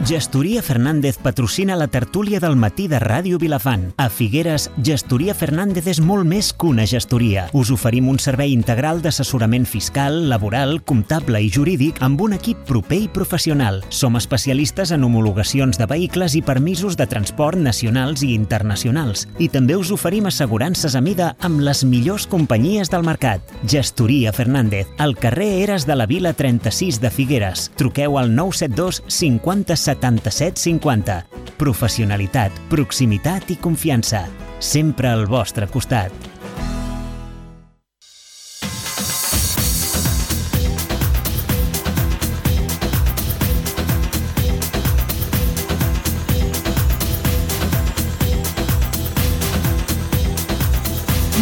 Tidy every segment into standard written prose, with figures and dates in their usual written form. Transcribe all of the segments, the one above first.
Gestoria Fernández patrocina la tertúlia del matí de Ràdio Vilafant. A Figueres, Gestoria Fernández és molt més que una gestoria. Us oferim un servei integral d'assessorament fiscal, laboral, comptable i jurídic amb un equip proper i professional. Som especialistes en homologacions de vehicles i permisos de transport nacionals i internacionals. I també us oferim assegurances a mida amb les millors companyies del mercat. Gestoria Fernández, al carrer Eres de la Vila 36 de Figueres. Truqueu al 972 50 77 50. Professionalitat, proximitat i confiança. Sempre al vostre costat.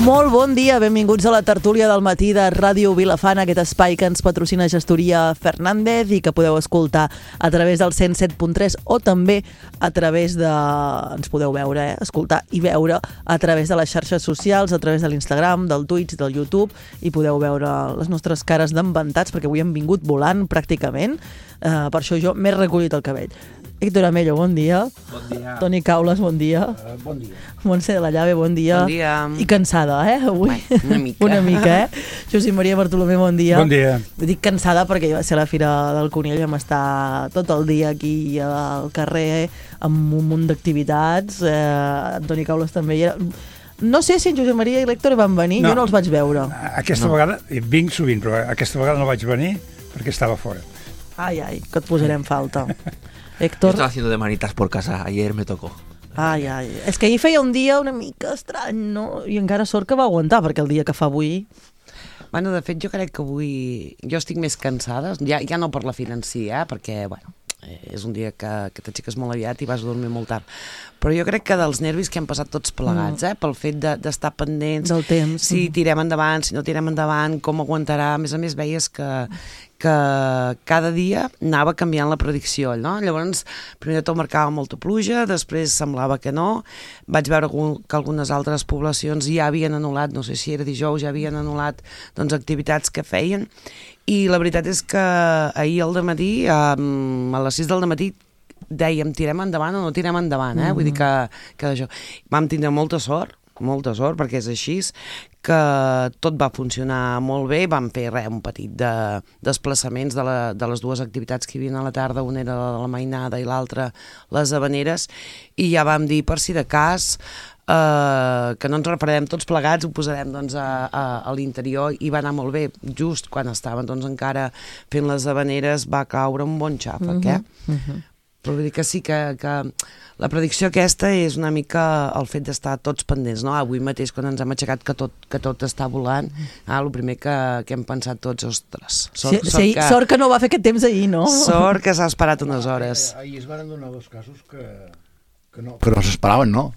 Molt bon dia, benvinguts a la tertúlia del matí de Ràdio Vilafant, aquest espai que ens patrocina Gestoria Fernández i que podeu escoltar a través del 107.3 o també a través de... ens podeu veure, escoltar i veure a través de les xarxes socials, a través de l'Instagram, del Twitch, del YouTube, i podeu veure les nostres cares d'embentats perquè avui hem vingut volant pràcticament, per això jo m'he recollit el cabell. Héctor Amello, bon dia. Bon dia. Toni Caules, bon dia. Bon dia. Montse de la Llave, bon dia. Bon dia. I cansada, avui. Una mica. Una mica, Josep Maria Bartolomé, bon dia. Bon dia. Dic cansada perquè jo va ser a la Fira del Conill, vam estar tot el dia aquí al carrer amb un munt d'activitats. Toni Caules també hi era. No sé si en Josep Maria i l'Héctor van venir, jo no els vaig veure. Aquesta vegada, vinc sovint, però aquesta vegada no vaig venir perquè estava fora. Ai, que et posarem falta. Yo Héctor... estaba haciendo de manitas por casa, ayer me tocó. Ai. És que ahir feia un dia una mica estrany, no? I encara sort que va aguantar, perquè el dia que fa avui... Bueno, de fet, jo crec que avui... Jo estic més cansada, ja no per la Fira en si, perquè, bueno, és un dia que t'aixeques molt aviat i vas a dormir molt tard. Però jo crec que dels nervis que hem passat tots plegats, pel fet d'estar pendents... Del temps. Si tirem endavant, si no tirem endavant, com aguantarà... A més, veies que cada dia anava canviant la predicció, no? Llavors, primer de tot marcava molta pluja, després semblava que no, vaig veure que algunes altres poblacions ja havien anul·lat, no sé si era dijous, ja havien anul·lat activitats que feien, i la veritat és que ahir al dematí, a les 6 del dematí, dèiem, tirem endavant o no tirem endavant, vull dir que això. Vam tindre molta sort, perquè és així, que tot va funcionar molt bé, vam fer un petit desplaçaments de les dues activitats que hi havia a la tarda, una era la mainada i l'altra les habaneres, i ja vam dir, per si de cas, que no ens repararem tots plegats, ho posarem a l'interior, i va anar molt bé. Just quan estaven encara fent les habaneres va caure un bon xàfec, Però vull dir que sí que la predicció aquesta és una mica el fet d'estar tots pendents, no? Avui mateix, quan ens hem aixecat que tot està volant, el primer que hem pensat tots, ostres, sort que no va fer aquest temps ahir, no? Sort que s'ha esperat unes hores. Ahir es van donar dos casos que no s'esperaven, no?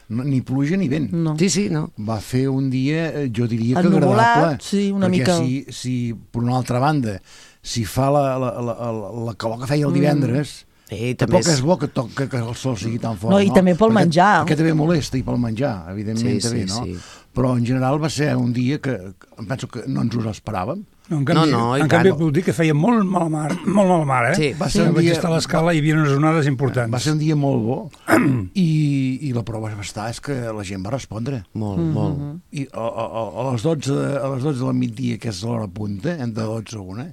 Ni pluja ni vent. No. Sí, no. Va fer un dia, jo diria que ennuvolat, agradable. sí, una perquè mica. si per una altra banda, si fa la calor que feia el divendres, tampoc és bo que el sol sigui tan fort, no? I també pel menjar. Aquest també molesta, i pel menjar, evidentment també, no? Sí. Però en general va ser un dia que em penso que no ens ho esperàvem. En canvi puc dir que feia molt mala mar, Sí, va ser un dia... Vaig estar a l'escala i hi havia unes onades importants. Va ser un dia molt bo i la prova és que la gent va respondre. Molt. I a les 12 del migdia, que és l'hora punta, entre 12 i 1,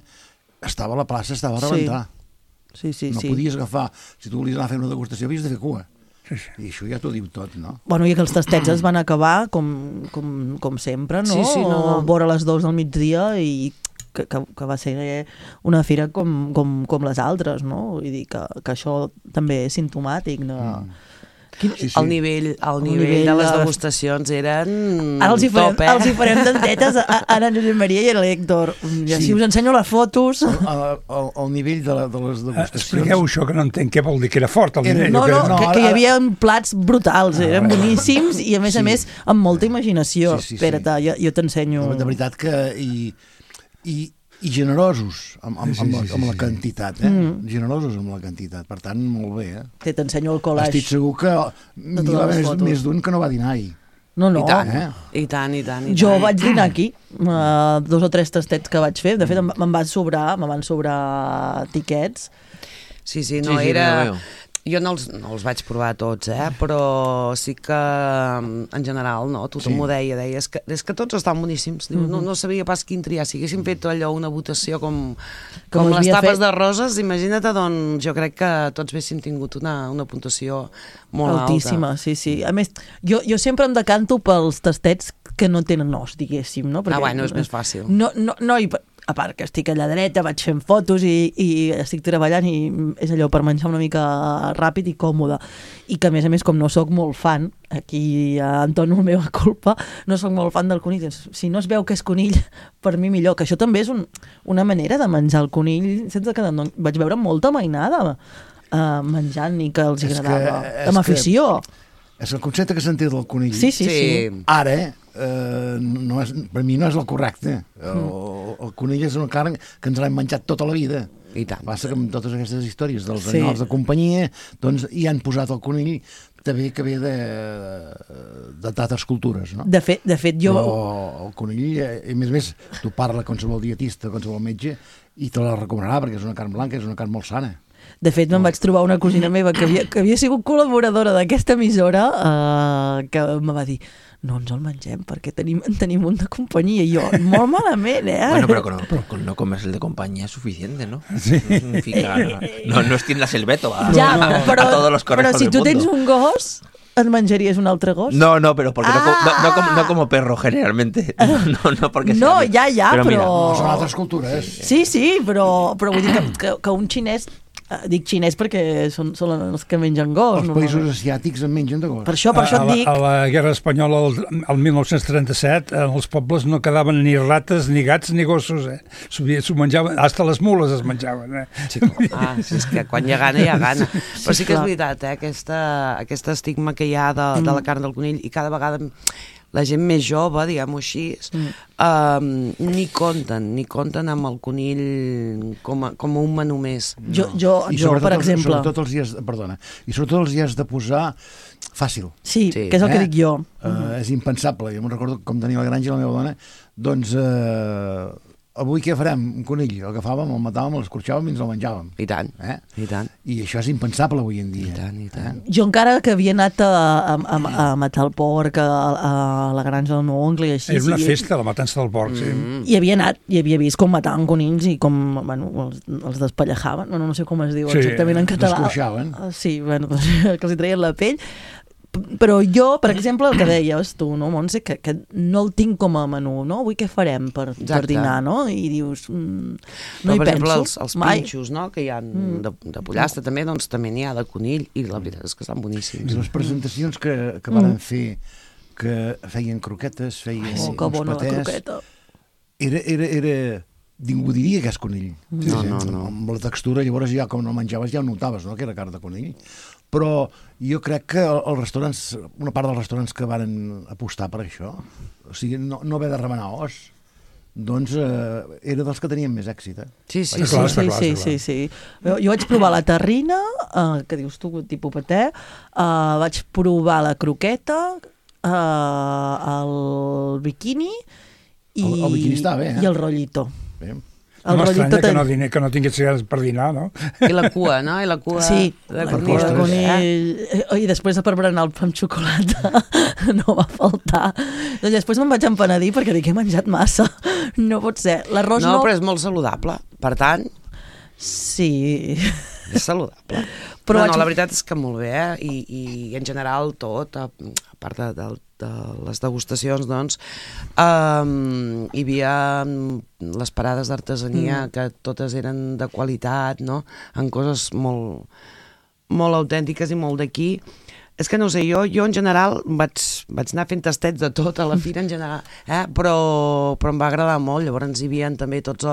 la plaça estava a rebentar. Sí. No podies agafar, si tu volies anar a fer una degustació, havies de fer cua. Sí. I això ja t'ho diu tot, no? Bueno, i que els tastets es van acabar com sempre, no? Sí, no. Vora les 2 del migdia i que va ser una fira com les altres, no? Vull dir que això també és simptomàtic, no? Sí. El nivell de les degustacions eren ara els hi farem dentetes ara en Josep Maria i a l'Héctor. Si us ensenyo les fotos... El nivell de les degustacions... Expliqueu això, que no entenc què vol dir, que era fort el nivell. No, que hi havia plats brutals, eren boníssims i a més amb molta imaginació. Espera't, jo t'ensenyo... De veritat que... I generosos amb la quantitat, generosos amb la quantitat, per tant, molt bé, T'ensenyo el collage. Estic segur que n'hi va haver més d'un que no va dinar ahir. No. I tant. Jo vaig dinar aquí, 2 o 3 tastets que vaig fer, de fet me'n van sobrar tiquets. Sí, no Sí, era... veo. Jo no els vaig provar tots, però sí que en general tothom m'ho deia, és que tots estan boníssims. Diu, no sabia pas quin triar. Si haguéssim fet allò una votació com les tapes de roses, imagina't, doncs jo crec que tots haguéssim tingut una puntuació molt altíssima, alta. sí. A més, jo sempre em decanto pels tastets que no tenen os, diguéssim, no? Perquè, Bueno, és més fàcil. No, a part que estic allà dreta, vaig fent fotos i estic treballant i és allò per menjar una mica ràpid i còmode. I que, a més, com no sóc molt fan, aquí entono la meva culpa, no sóc molt fan del conill. Si no es veu que és conill, per mi millor. Que això també és una manera de menjar el conill, sense que vaig veure molta mainada menjant i que els agradava. Amb afició. És el concepte que sentia del conill. Sí. Ara, per mi no és el correcte. El conill és una carn que ens l'hem menjat tota la vida. I tant. Passa que amb totes aquestes històries dels animals de companyia, doncs hi han posat el conill també que ve d'altres cultures, no? De fet, jo... Però el conill, a més, tu parla qualsevol dietista, qualsevol metge, i te la recomanarà, perquè és una carn blanca, és una carn molt sana. De fet, me'n vaig trobar una cosina meva que havia sigut col·laboradora d'aquesta emissora que me va dir no ens el mengem perquè tenim un de companyia. I jo, molt malament, Bueno, pero con no comerse el de compañía es suficiente, ¿no? Sí. No extiendas el veto a todos los conejos però si del tu mundo. tens un gos, et menjaries un altre gos? No, pero porque no como perro generalmente. No porque sea. No, ja, però... però... No, són altres cultures. Sí, però vull dir que un xinès, dic xinès perquè són els que mengen gos. Els països asiàtics en mengen de gos. Per això et dic... A la Guerra Espanyola, el 1937, en els pobles no quedaven ni rates, ni gats, ni gossos. S'ho menjaven, hasta les mules es menjaven. Sí, és que quan hi ha gana. Però sí que és veritat, aquest estigma que hi ha de la carn del conill, i cada vegada la gent més jove, diguem-ho així, ni compten amb el conill com un menú més. Jo per exemple... Sobretot els hi has de posar fàcil. Sí, que és el que dic jo. És impensable. Jo me'n recordo com tenia la granja la meva dona, doncs avui què farem? Un conill. El agafàvem, el matàvem, l'escorxàvem i ens el menjàvem. I tant, i tant. I això és impensable avui en dia. I tant. Jo encara que havia anat a matar el porc a la granja del meu oncle i així... Era una festa, la matança del porc, sí. I havia anat i havia vist com mataven conills i com els despellajaven. No sé com es diu exactament en català. Descorxaven. Sí, que els hi treien la pell. Però jo, per exemple, el que deies tu, no, Montse, que no el tinc com a menú, no? Avui què farem per dinar, no? I dius, no hi penso. Per exemple, els pinxos, no?, que hi ha de pollastre també, doncs també n'hi ha de conill, i la veritat és que estan boníssims. Les presentacions que van fer, que feien croquetes, feien uns que bona patés... la croqueta. Era... Ningú diria que és conill. No. Amb la textura, llavors ja com no menjaves ja ho notaves, no?, que era carn de conill. Però jo crec que els restaurants, una part dels restaurants que van apostar per això, o sigui, no haver de remenar os, doncs era dels que tenien més èxit. Sí. Jo vaig provar la terrina, que dius tu, tipus paté, vaig provar la croqueta, el biquini el biquini està bé, i el rollito. Bé. No m'estranya que no tingués ganes per dinar, no? I la cua, no? Sí, de conill. I després per berenar el pa amb xocolata no va faltar. Doncs després me'n vaig empenedir perquè dic, he menjat massa. No pot ser. L'arròs no, però és molt saludable. Per tant... Sí... És saludable. Però la veritat és que molt bé, i en general tot, a part de les degustacions, doncs, hi havia les parades d'artesania, que totes eren de qualitat, no?, en coses molt, molt autèntiques i molt d'aquí. És que no sé, jo en general vaig anar fent tastets de tot a la fira en general, però em va agradar molt. Llavors hi havia també tots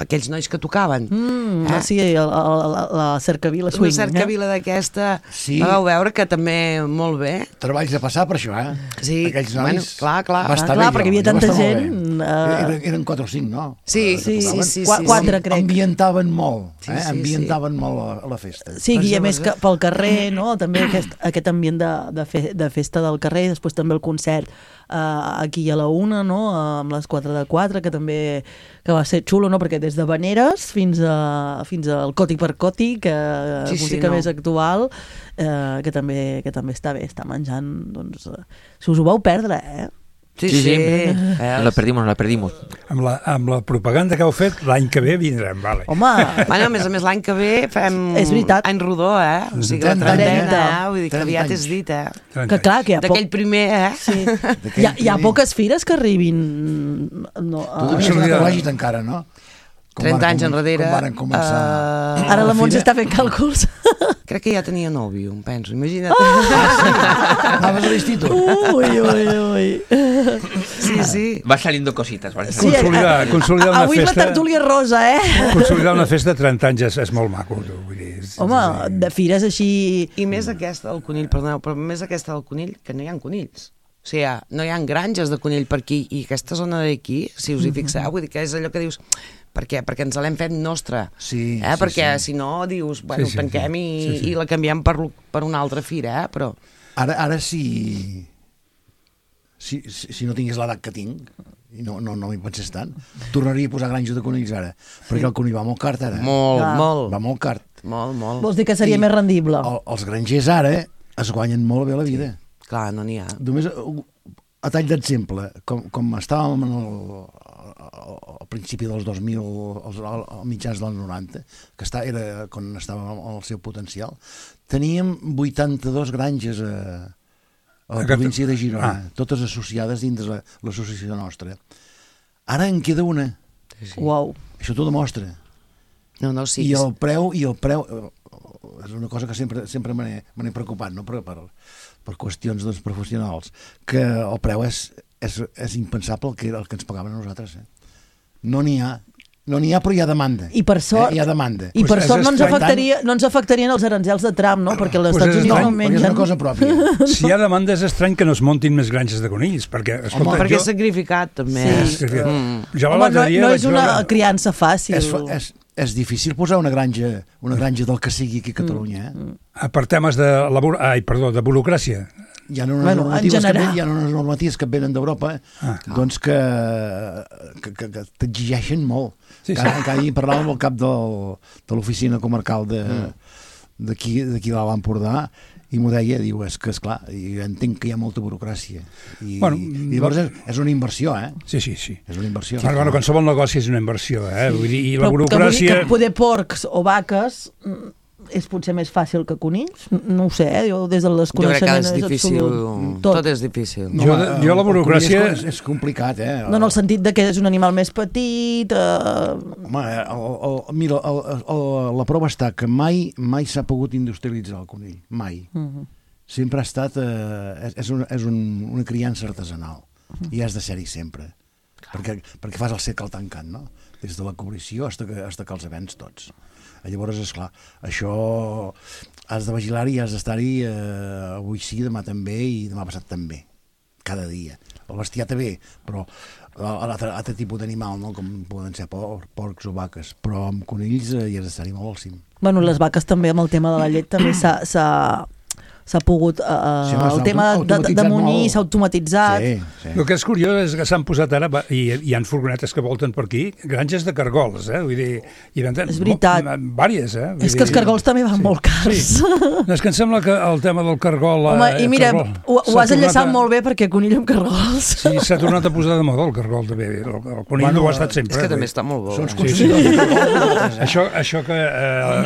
aquells nois que tocaven. Sí, la cercavila swing. Una cercavila d'aquesta, vau veure que també molt bé. Treballs de passar per això, Sí, aquells nois. Clar, perquè hi havia tanta gent, Eren 4 o 5, no? Sí. 4, crec. Ambientaven molt, Sí. ambientaven molt a la festa. Sí, i a més que pel carrer, no? També aquest ambient de festa del carrer, després també el concert aquí a la 1, no? Amb les 4 de 4, que va ser xulo, no? Perquè des de Vaneres fins al Coti per Coti, que música més actual, que també està bé, està menjant, doncs, si us ho vau perdre, Sí. La perdimos. Amb la propaganda que heu fet, l'any que ve vindrem, vale. Home, Bueno, a més l'any que ve fem És veritat. any rodó, O sigui, la 30 trentena, vull dir que aviat és dit, que clar, que D'aquell primer, Sí. Hi ha poques fires que arribin... No, Tu devies anar a col·legi encara, no? 30 anys enrere. Com varen començar. Ara la Montse està fent càlculs. Crec que ja tenia nòvio, em penso, imagina't. Anaves a l'institut? Ui. Sí. Va saliendo cositas. Sí, Consolidar una avui és la festa... tertúlia rosa, Consolidar una festa de 30 anys és molt maco. Vull dir, Home, de fires així... I més aquesta del conill, perdoneu, però més aquesta del conill, que no hi ha conills. O sigui, no hi ha granges de conill per aquí, i aquesta zona d'aquí, si us hi fixeu, vull dir que és allò que dius... Perquè ens l'hem fet nostra. Sí, perquè si no, dius, bueno, tanquem i la canviem per una altra fira, però... Ara si no tingués l'edat que tinc, i no m'hi pensés tant, tornaria a posar granja de conills ara, perquè el conill va molt cart ara. Molt. Va molt cart. Molt. Vols dir que seria més rendible? Els grangers ara es guanyen molt bé la vida. Clar, no n'hi ha. Només a tall d'exemple, com estàvem al principi dels 2000, als mitjans dels 90, que era quan estàvem al seu potencial, teníem 82 granges a la província de Girona, totes associades dins de l'associació nostra. Ara en queda una. Uau. Això t'ho demostra. No, sí. I el preu és una cosa que sempre me n'he preocupat, no? Per qüestions professionals, que el preu és impensable el que ens pagaven a nosaltres. No n'hi ha, però hi ha demanda. I per sort, hi ha demanda. I per sort no ens afectarien els aranzels de Trump, no? Perquè els Estats Units no mengen. És una cosa pròpia. Si hi ha demanda és estrany que no es montin més granges de conills, perquè, escolta, perquè és sacrificat, també. Home, no és una criança fàcil. És difícil posar una granja del que sigui aquí a Catalunya. Per temes de burocràcia. Hi ha unes normatives que venen d'Europa doncs que t'exigeixen molt. Cada dia parlàvem amb el cap de l'oficina comarcal d'aquí de l'Empordà i m'ho deia, diu, és que esclar, jo entenc que hi ha molta burocràcia i llavors és una inversió, Sí. És una inversió. Bueno, qualsevol negoci és una inversió, vull dir, i la burocràcia... Que poder porcs o vaques és potser més fàcil que conills? No ho sé, jo des del desconeixement... Jo crec que és difícil, tot és difícil. Jo la burocràcia... És complicat, No, en el sentit de que és un animal més petit... Home, mira, la prova està que mai s'ha pogut industrialitzar el conill, mai. Sempre ha estat... És una criança artesanal, i has de ser-hi sempre, perquè fas el segle tancant, no? Des de la cobrició fins que els vens tots. Llavors, esclar, això has de vigilar-hi i has d'estar-hi avui sí, demà també i demà passat també, cada dia. El bestiar també, però l'altre tipus d'animal, no? Com poden ser porcs o vaques, però amb conills hi has d'estar-hi molt al cim. Bueno, les vaques també, amb el tema de la llet, també s'ha pogut... el tema de munyir s'ha automatitzat. Sí. El que és curiós és que s'han posat ara, i hi ha furgonetes que volten per aquí, granges de cargols, vull dir... És veritat. Vàries, És que els cargols també van molt cars. Sí. És que em sembla que el tema del cargol... Home, i mira, ho has enllaçat molt bé perquè conill amb cargols. Sí, s'ha tornat a posar de moda el cargol també. El conill no ho ha estat sempre. És que també està molt bo. Són consumidors de cargols. Això que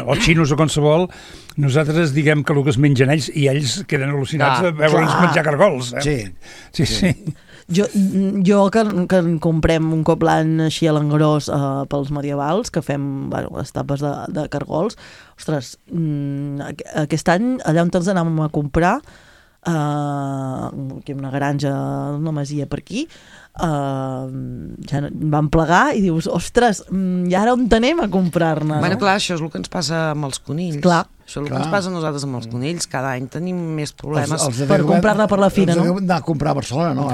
els xinos o qualsevol, nosaltres diguem que el que es mengen ells i ells queden al·lucinats de veure'ns menjar cargols. Sí. Jo que en comprem un cop l'any així a l'engròs pels medievals, que fem les tapes de cargols, ostres, aquest any allà on ens anàvem a comprar, que una granja, una masia per aquí, ja van plegar i dius, ostres, i ara on anem a comprar-ne? Bueno, clar, això és el que ens passa amb els conills. Clar. Això és el que ens passa a nosaltres amb els conills. Cada any tenim més problemes. Per comprar-la per la fira, no? Els d'anar a comprar a Barcelona, no?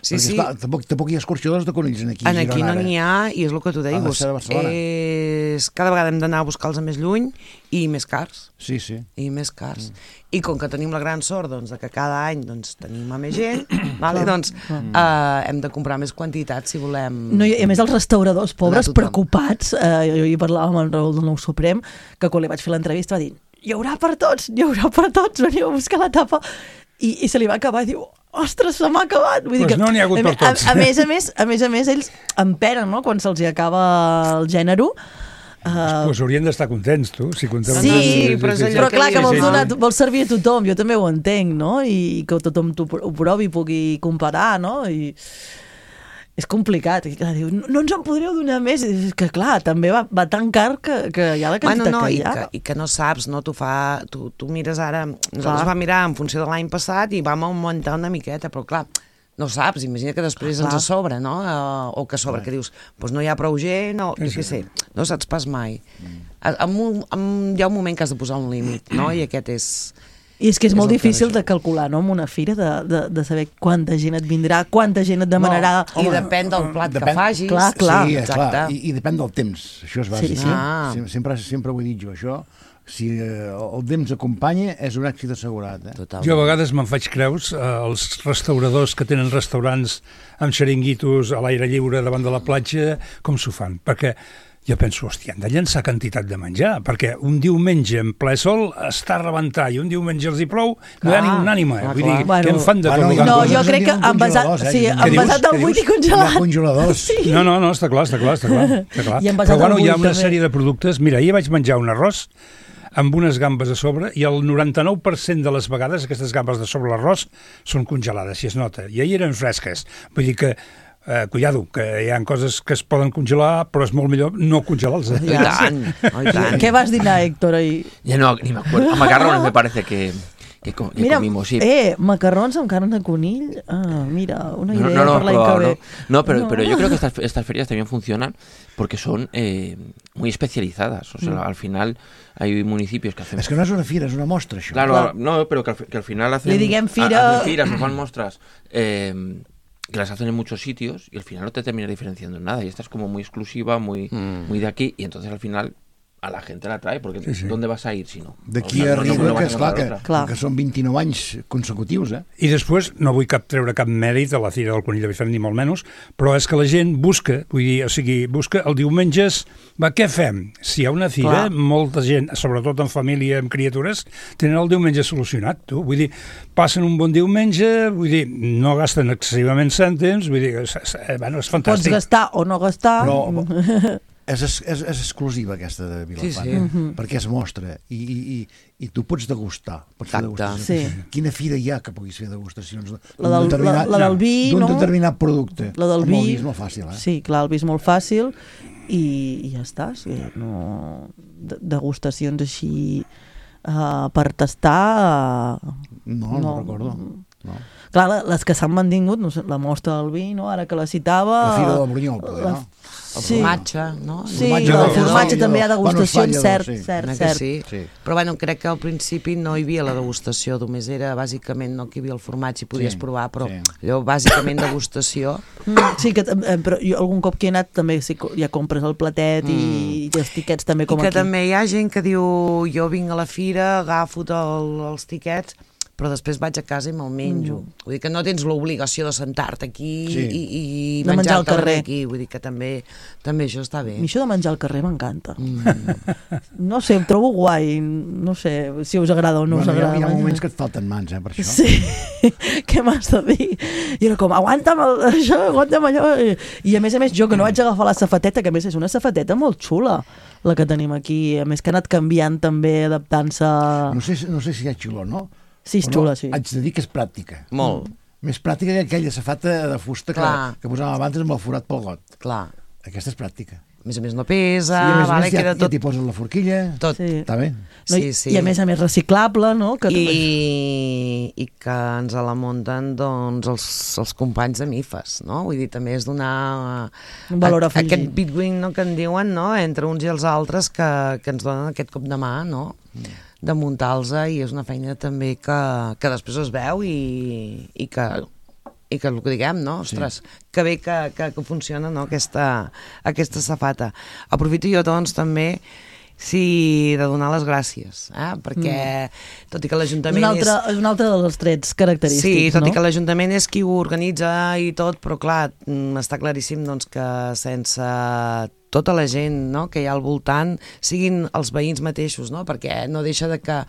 Sí. Esclar, tampoc hi ha escorxadors de conills aquí a Girona. Aquí no n'hi ha, i és el que tu deies. Cada vegada hem d'anar a buscar-los a més lluny i més cars. Sí. I més cars. I com que tenim la gran sort de que cada any tenim a més gent, doncs hem de comprar més quantitat si volem... No, i a més els restauradors pobres preocupats, jo hi parlava amb en Raül del Nou Suprem, que quan li vaig fer l'entrevista va dir hi haurà per tots, veniu a buscar la tapa, i se li va acabar i diu, ostres, se m'ha acabat. Vull dir que, no n'hi ha hagut per tots. A més, ells emperen, no?, quan se'ls acaba el gènere. Pues haurien d'estar contents, tu, si comptaven... Sí, però clar, que vols servir a tothom, jo també ho entenc, no?, i que tothom ho provi i pugui comparar, no?, i és complicat, i clar, diu, no ens en podríeu donar més, i és que clar, també va tan car que hi ha la quantitat que hi ha. I que no saps, no? Tu mires ara, nosaltres vam mirar en funció de l'any passat i vam augmentar una miqueta, però clar, no saps, imagina que després ens sobra, no? O que sobra, que dius, doncs no hi ha prou gent, o jo què sé, no saps pas mai. Hi ha un moment que has de posar un límit, no? I aquest és... I és que és molt difícil de calcular, no?, en una fira, de saber quanta gent et vindrà, quanta gent et demanarà... I depèn del plat que facis. Clar. Sí, exacte. I depèn del temps, això és bàsic. Sempre ho he dit jo, això. Si el temps acompanya, és un èxit assegurat. Jo a vegades me'n faig creus els restauradors que tenen restaurants amb xeringuitos a l'aire lliure davant de la platja, com s'ho fan, perquè... Jo penso, hòstia, han de llançar quantitat de menjar, perquè un diumenge en ple sol està a rebentar i un diumenge els hi plou, no hi ha ninguna ànima. Vull dir, què en fan de tot? No, jo crec que envasat al buit i congelat. Hi ha congeladors. No, està clar. Però bueno, hi ha una sèrie de productes. Mira, ahir vaig menjar un arròs amb unes gambes a sobre i el 99% de les vegades aquestes gambes de sobre l'arròs són congelades, si es nota. I ahir eren fresques. Vull dir que cuidado, que hi ha coses que es poden congelar, però és molt millor no congelar-los. I tant. Què vas dinar, Héctor, ahir? Ya no, ni me acuerdo. A macarrones me parece que comimos, sí. Macarrons amb carn de conill. Mira, una idea per l'any que ve. No, pero yo creo que estas ferias también funcionan porque son muy especializadas. O sea, al final hay municipios que hacen... Es que no es una fira, es una mostra, això. Claro, no, pero que al final hacen... Le diguem fira... Hacen firas, o fan mostras... que las hacen en muchos sitios y al final no te terminas diferenciando en nada y esta es como muy exclusiva, muy de aquí y entonces al final a la gente la trae porque ¿dónde vas a ir si no? D'aquí arriba que és clar que són 29 anys consecutius, I després no vull treure cap mèrit a la Fira del Conill de Bifant ni molt menys, però és que la gent busca, busca el diumenges, què fem? Si hi ha una fira, molta gent, sobretot en família amb criatures, tenen el diumenge solucionat, tu, vull dir, passen un bon diumenge, vull dir, no gasten excessivament cèntims, vull dir, bueno, és fantàstic. Pots gastar o no gastar. Però és exclusiva aquesta de Vilafant, perquè es mostra i tu pots degustar, pots fer degustacions. Quina fira hi ha que puguis fer degustacions la del vi, d'un determinat producte? La del vi és molt fàcil, Sí, clar, el vi és molt fàcil i ja està, degustacions així per tastar no recordo. Clar, les que s'han mantingut, no sé, la mostra del vi, no? Ara que la citava... La Fira del Brunyol, poder, no? El formatge, no? Sí, el formatge també hi ha degustacions, cert. Sí. Però bueno, crec que al principi no hi havia la degustació, només era bàsicament no que hi havia el formatge i podies provar, però allò bàsicament degustació. Sí, però jo algun cop que he anat també ja compres el platet i els tiquets també com aquí. I que també hi ha gent que diu jo vinc a la fira, agafo els tiquets, però després vaig a casa i me'l menjo. Vull dir que no tens l'obligació de sentar-te aquí i menjar al carrer aquí. Vull dir que també això està bé. A mi això de menjar al carrer m'encanta. No sé, em trobo guai. No sé si us agrada o no us agrada. Hi ha moments que et falten mans, per això. Sí, què m'has de dir? I era com, aguanta'm això, aguanta'm allò. I a més, jo que no vaig agafar la safateta, que a més és una safateta molt xula, la que tenim aquí. A més que ha anat canviant també, adaptant-se... No sé si hi ha xulo, no? Sí, és xula, sí. Haig de dir que és pràctica. Molt. Més pràctica que aquella safata de fusta que posàvem abans amb el forat pel got. Clar. Aquesta és pràctica. A més no pesa, ja t'hi poses la forquilla. Tot. Està bé. I a més reciclable, no? I que ens la munten els companys de MIFAS, no? Vull dir, també és donar un valor afegit. Aquest bitwin que en diuen, no? Entre uns i els altres que ens donen aquest cop de mà, no? de muntar-los, i és una feina també que després es veu i que el que diguem, no? Ostres, que bé que funciona, no? aquesta safata. Aprofito jo, doncs, també de donar les gràcies, perquè tot i que l'Ajuntament és un altre dels trets característics, sí, tot no? i que l'Ajuntament és qui ho organitza i tot, però clar, està claríssim doncs, que sense tota la gent, no?, que hi ha al voltant, siguin els veïns mateixos, no?, perquè no deixa de que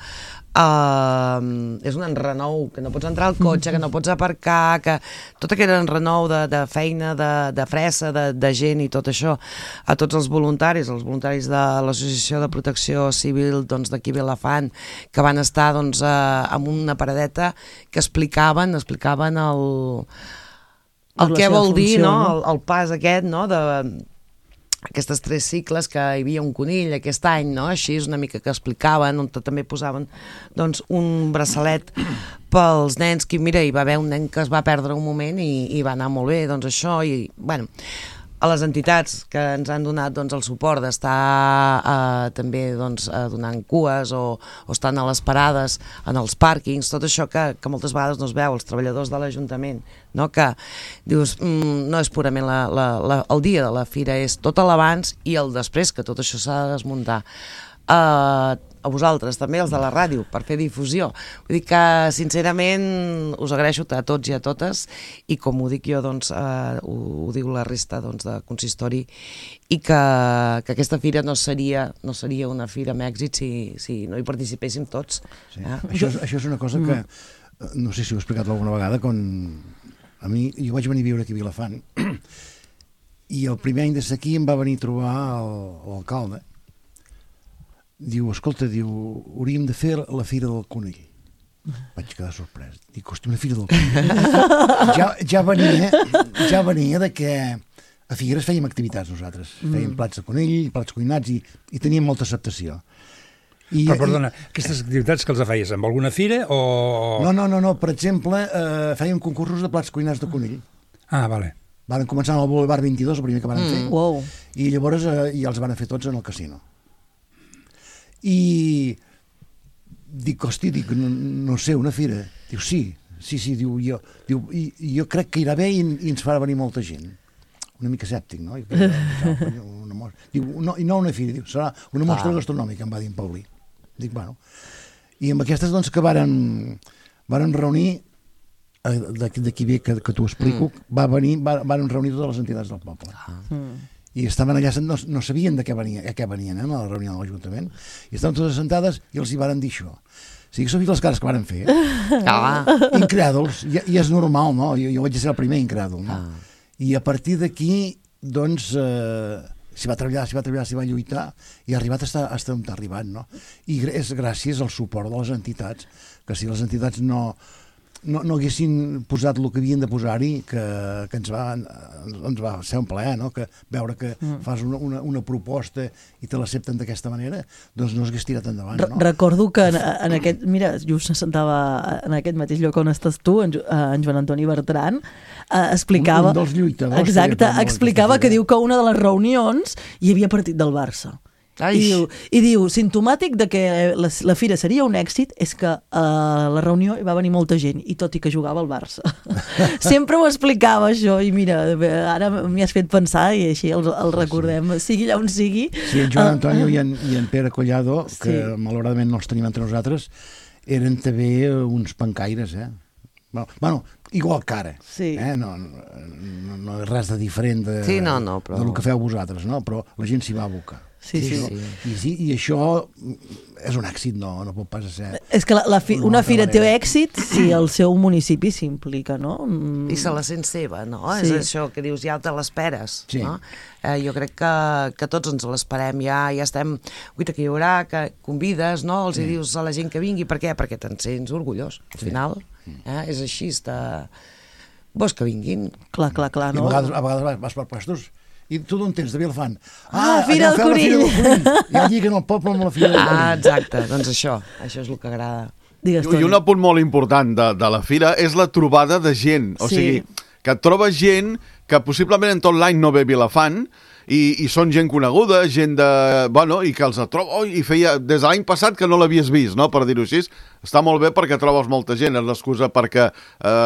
és un enrenou, que no pots entrar al cotxe, que no pots aparcar, que tot aquest enrenou de feina, de fressa, de gent i tot això, a tots els voluntaris de l'Associació de Protecció Civil d'aquí Vilafant, que van estar amb una paradeta que explicaven el què vol dir, no?, el pas aquest, no?, aquestes 3 cicles, que hi havia un conill aquest any, no? Així és una mica que explicaven, on també posaven doncs, un braçalet pels nens, que mira, hi va haver un nen que es va perdre un moment i va anar molt bé, doncs això, i bueno, a les entitats que ens han donat doncs, el suport d'estar també doncs, donant cues o estant a les parades, en els pàrquings, tot això que moltes vegades no es veu, els treballadors de l'Ajuntament, no? Que dius, no és purament el dia de la fira, és tot l'abans i el després, que tot això s'ha de desmuntar. A vosaltres, també els de la ràdio, per fer difusió. Vull dir que, sincerament, us agraeixo a tots i a totes, i com ho dic jo, doncs, ho diu la resta de consistori, i que aquesta fira no seria una fira amb èxit si no hi participéssim tots. Sí. Això és una cosa que, no sé si ho he explicat alguna vegada, quan a mi, jo vaig venir a viure aquí a Vilafant, i el primer any de ser aquí em va venir a trobar l'alcalde. Diu, escolta, hauríem de fer la Fira del Conill. Vaig quedar sorprès. Dic, hosti, una Fira del Conill. Ja venia de que a Figueres fèiem activitats nosaltres. Fèiem plats de conill, plats cuinats, i teníem molta acceptació. Però, perdona, aquestes activitats que els feies amb alguna fira o...? No. Per exemple, fèiem concursos de plats cuinats de conill. Ah, vale. Van començar al Boulevard 22, el primer que van fer. Wow. I llavors ja els van fer tots en el casino. I dic, hosti, no sé, una fira. Diu, sí, diu, jo crec que irà bé i ens farà venir molta gent. Una mica escèptic, no? Diu, no una fira, diu, serà una mostra gastronòmica, em va dir en Paulí. Dic, bueno. I amb aquestes, doncs, que varen reunir, d'aquí bé que t'ho explico, varen reunir totes les entitats del poble. I estaven allà, no sabien de què venien, a la reunió de l'Ajuntament, i estaven totes sentades i els hi varen dir això. O sigui, s'ho vist les cares que varen fer. Incrèduls, i és normal, no? Jo vaig ser el primer incrèdul, no? I a partir d'aquí, doncs, s'hi va treballar, s'hi va lluitar, i ha arribat a estar on ha arribat, no? I és gràcies al suport de les entitats, que si les entitats no haguessin posat el que havien de posar-hi, que ens va ser un plaer, no? Que veure que fas una proposta i te l'accepten d'aquesta manera, doncs no s'hagués tirat endavant, no? Recordo que en aquest, mira, just s'assentava en aquest mateix lloc on estàs tu, en Joan Antoni Bertran, explicava... Un dels lluitadors. Exacte, explicava que diu que una de les reunions hi havia partit del Barça. I diu, simptomàtic de que la fira seria un èxit és que a la reunió hi va venir molta gent, i tot i que jugava al Barça. Sempre ho explicava això, i mira, ara m'hi has fet pensar i així el recordem, sigui allà on sigui. Sí, en Joan Antonio i en Pere Collado, que malauradament no els tenim entre nosaltres, eren també uns pancaires, Bueno, igual que ara, no és res de diferent de del que feu vosaltres, no? Però la gent s'hi va abocar. Sí. I això és un èxit, no pot pas ser... És que una fira té èxit si el seu municipi s'implica, no? I se la sent seva, no? És això que dius, ja te l'esperes, no? Jo crec que tots ens l'esperem, ja estem... Guita, que hi haurà, que convides, no? Els hi dius a la gent que vingui, per què? Perquè te'n sents orgullós, al final. És així, vols que vinguin. Clar, no? I a vegades vas per puestos i tu d'on tens, de Vilafant? Fira del Conill! I allí que en el poble amb la Fira del Conill. Exacte, doncs això és el que agrada. I un apunt molt important de la fira és la trobada de gent, o sigui, que et trobes gent que possiblement en tot l'any no ve a Vilafant i són gent coneguda, gent de... Bueno, i que els trobo... I feia des de l'any passat que no l'havies vist, no?, per dir-ho així. Està molt bé perquè trobes molta gent, és l'excusa perquè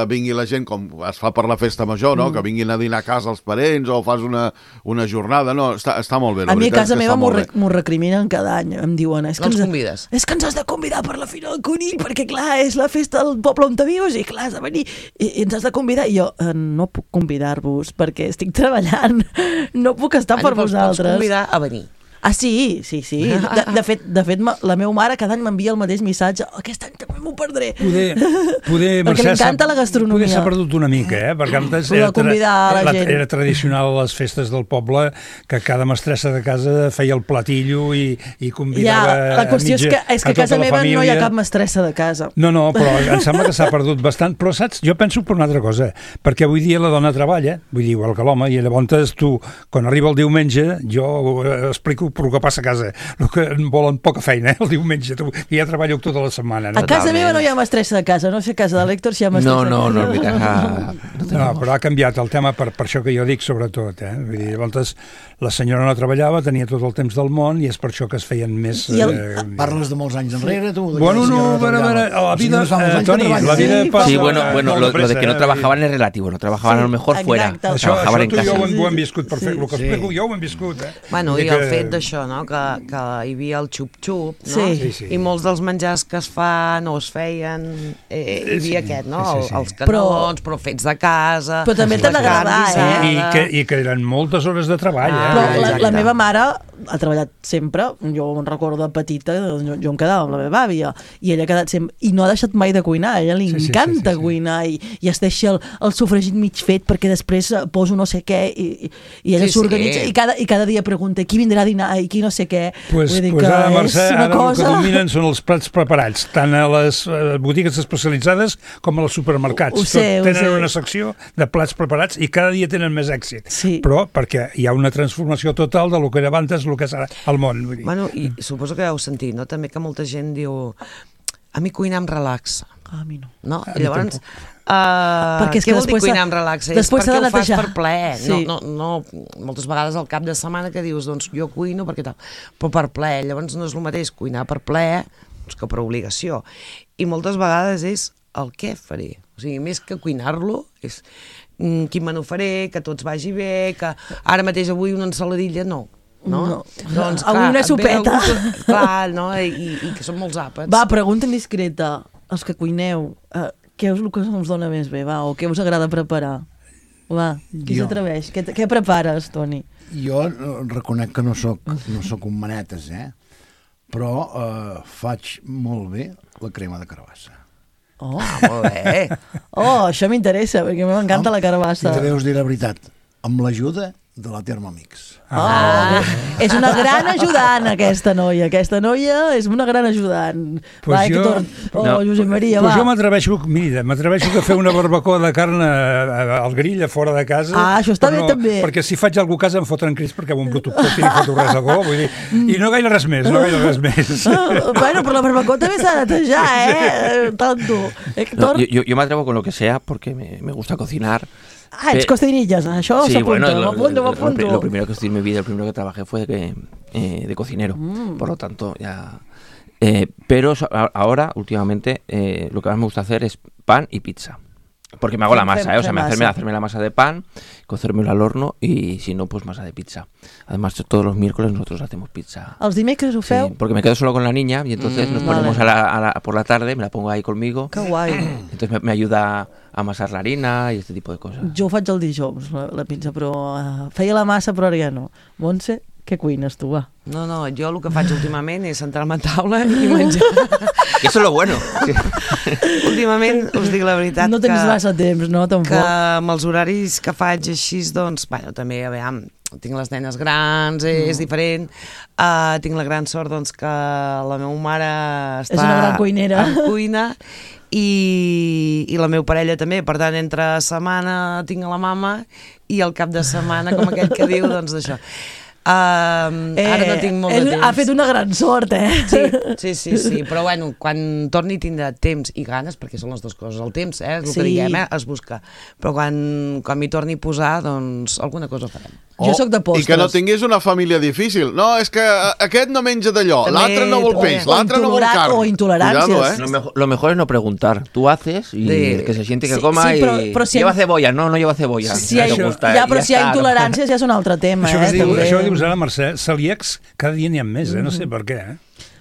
vingui la gent, com es fa per la festa major, no?, que vinguin a dinar a casa els parents o fas una jornada, no, està molt bé. A mi a casa meva m'ho recriminen cada any, em diuen, és que convides. És que ens has de convidar per la Fira del Conill, perquè clar, és la festa del poble on te vius i clar, has de venir i ens has de convidar. I jo no puc convidar-vos perquè estic treballant, no puc estar per vosaltres. Pots convidar a venir. Ah, sí. De fet, la meva mare cada any m'envia el mateix missatge. Aquest any també m'ho perdré. Poder perquè li encanta la gastronomia. Poder s'ha perdut una mica, perquè antes era tradicional a les festes del poble que cada mestressa de casa feia el platillo i convidava la qüestió és que a casa meva no hi ha cap mestressa de casa. No, però em sembla que s'ha perdut bastant. Però saps, jo penso per una altra cosa, perquè avui dia la dona treballa, vull dir, igual que l'home, i llavors tu, quan arriba el diumenge, jo explico per el que passa a casa, el que volen poca feina, el diumenge, que ja treballo tota la setmana. A casa meva no hi ha mestressa de casa, no sé a casa de l'Héctor si hi ha mestressa de casa. No, mi casa... No, però ha canviat el tema per això que jo dic, sobretot. Vull dir, llavors la senyora no treballava, tenia tot el temps del món i és per això que es feien més... Parles de molts anys enrere, tu? Bueno, no, a veure, la vida, Toni, la vida passa... Sí, bueno, lo de que no trabajaban es relativo, no trabajaban a lo mejor fuera, trabajaban en casa. Això tu i jo ho hem viscut perfecte, el que explico jo ho hem viscut. Bueno, i el fet d'això, no?, que hi havia el xup-xup, no? Sí. I molts dels menjars que es fan o es feien, hi havia aquest, no?, els canelons, però fets de casa... Però també t'ha d'agradar, I que eren moltes hores de treball, Però la meva mare ha treballat sempre, jo em recordo de petita, jo em quedava amb la meva àvia, i ella ha quedat sempre, i no ha deixat mai de cuinar, a ella li encanta cuinar, i es deixa el sofregit mig fet perquè després poso no sé què, i ella s'organitza, i cada dia pregunta qui vindrà a dinar i qui no sé què. Pues ara, Mercè, ara el que dominen són els plats preparats, tant a les botigues especialitzades com a els supermercats. Tenen una secció de plats preparats i cada dia tenen més èxit. Però perquè hi ha una transformació total de lo que era abans, el que és ara el món. Bueno, i suposo que heu sentit, no?, també que molta gent diu a mi cuinar em relaxa. A mi no. No? I llavors, què vol dir cuinar em relaxa? És perquè ho fas per plaer. No, moltes vegades al cap de setmana que dius, doncs jo cuino perquè tal, però per plaer. Llavors no és el mateix cuinar per plaer que per obligació. I moltes vegades és el què faré. O sigui, més que cuinar-lo, és quin menú faré, que tots vagi bé, que ara mateix avui una ensaladilla, no. Doncs, avui una sopeta. Clar, no? I que són molts àpats. Va, pregunta indiscreta. Els que cuineu, què és el que us dona més bé, va? O què us agrada preparar? Va, qui s'atreveix? Què prepares, Toni? Jo reconec que no soc un manetes, però faig molt bé la crema de carbassa. Oh, molt bé. Oh, això m'interessa, perquè m'encanta la carbassa. I també us diré la veritat, amb l'ajuda de la Thermomix. És una gran ajudant, aquesta noia. Aquesta noia és una gran ajudant. Josep Maria, va. Jo m'atreveixo a fer una barbacoa de carn al grill a fora de casa. Això està bé també. Perquè si faig alguna cosa em fotran crits perquè ho embruto tot i no foto res de bo. Vull dir, i no gaire res més, Bueno, però la barbacoa també s'ha de netejar, Tanto. Héctor. Yo me atrevo con lo que sea porque me gusta cocinar. Ets cocinillas, això s'apunta, m'apunto. Lo primero que estudié en mi vida, lo primero que trabajé fue de cocinero, por lo tanto ya... pero ahora, últimamente, lo que más me gusta hacer es pan y pizza. Porque me hago la masa, o sea, hacerme la masa de pan, cocérmelo al horno y si no, pues masa de pizza. Además, todos los miércoles nosotros hacemos pizza. ¿Els dimecres ho feu? Sí, porque me quedo solo con la niña y entonces nos ponemos por la tarde, me la pongo ahí conmigo. Que guai. Entonces me ayuda a amasar la harina y este tipo de cosas. Jo ho faig el dijous, la pizza, però feia la massa, però ara ja no. Montse, què cuines tu, va? No, jo el que faig últimament és sentar-me a taula i menjar. I això és lo bueno. Últimament, us dic la veritat, no tens massa temps, no? Tampoc. Que amb els horaris que faig així, doncs, bueno, també, aviam, tinc les nenes grans, és diferent. Tinc la gran sort, doncs, que la meva mare està... És una gran cuinera. En cuina, i la meva parella també, per tant, entre setmana tinc la mama i el cap de setmana, com aquell que diu, doncs, d'això. Ara no tinc molt de temps. Ha fet una gran sort, Sí, però bueno, quan torni tindrà temps i ganes, perquè són les dues coses, el temps, és el que diguem, es busca, però quan m'hi torni a posar, doncs alguna cosa farem. Jo sóc de postres. I que no tinguis una família difícil. No, és que aquest no menja d'allò, l'altre no vol peix, l'altre no vol carn. O intoleràncies. Lo mejor es no preguntar. Tú haces y que se siente que coma però si lleva cebolla. No lleva cebolla. Però si hi ha intoleràncies ja és un altre tema. Això que dius ara, Mercè, celíacs cada dia n'hi ha més, no sé per què.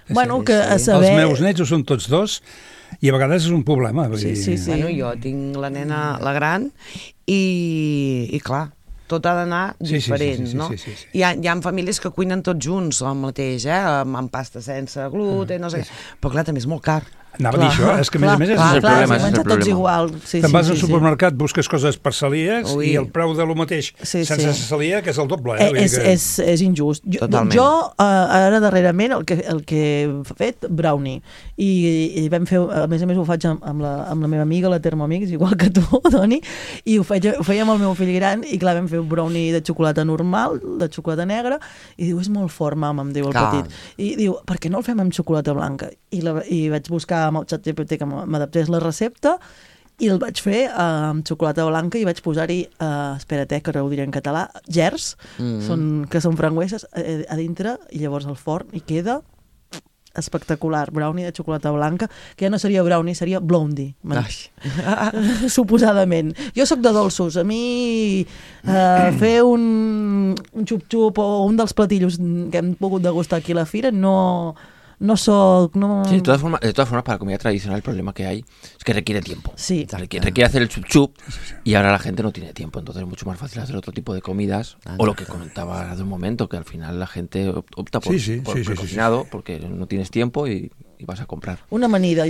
Bueno, que a saber... Els meus nets ho són tots dos i a vegades és un problema. Sí. Bueno, jo tinc la nena, la gran, i clar, tot ha d'anar diferent, no? Hi ha famílies que cuinen tots junts el mateix, amb pasta sense gluten, no sé què, però clar, també és molt car. Anava a dir això, és que a més és el problema. Tots igual. Te'n vas al supermercat, busques coses per celíacs i el preu de lo mateix sense celíac és el doble. És injust. Jo ara darrerament el que he fet, brownie, i vam fer, a més ho faig amb la meva amiga, la Thermomix, igual que tu, Doni, i ho feia amb el meu fill gran, i clar, vam fer un brownie de xocolata normal, de xocolata negra, i diu, és molt fort, mama, em diu el petit. I diu, per què no el fem amb xocolata blanca? I vaig buscar amb el ChatGPT que m'adaptés la recepta i el vaig fer amb xocolata blanca i vaig posar-hi, espera't, que ara ho diré en català, gers, que són frangüeses a dintre, i llavors al forn i queda espectacular, brownie de xocolata blanca, que ja no seria brownie, seria blondie. Suposadament. Jo sóc de dolços. A mi fer un xup-xup o un dels platillos que hem pogut degustar aquí a la fira no soc... Sí, de todas formas, para la comida tradicional el problema que hay es que requiere tiempo. Sí. Requiere hacer el chup-chup y ahora la gente no tiene tiempo, entonces es mucho más fácil hacer otro tipo de comidas o lo que comentaba hace un momento, que al final la gente opta por cocinado porque no tienes tiempo y vas a comprar. Una amanida,